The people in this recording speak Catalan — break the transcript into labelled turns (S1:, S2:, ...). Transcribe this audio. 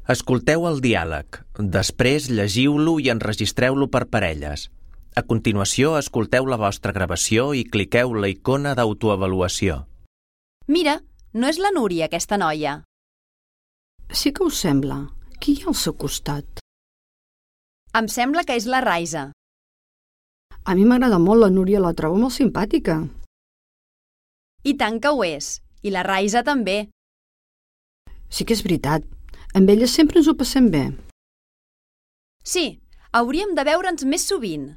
S1: Escolteu el diàleg. Després llegiu-lo i enregistreu-lo per parelles. A continuació, escolteu la vostra gravació i cliqueu la icona d'autoavaluació.
S2: Mira, no és la Núria, aquesta noia.
S3: Sí que us sembla. Qui hi ha al seu costat?
S2: Em sembla que és la Raisa.
S3: A mi m'agrada molt la Núria, la trobo molt simpàtica.
S2: I tant que ho és. I la Raisa també.
S3: Sí que és veritat. Amb ella sempre ens ho passem bé.
S2: Sí, hauríem de veure'ns més sovint.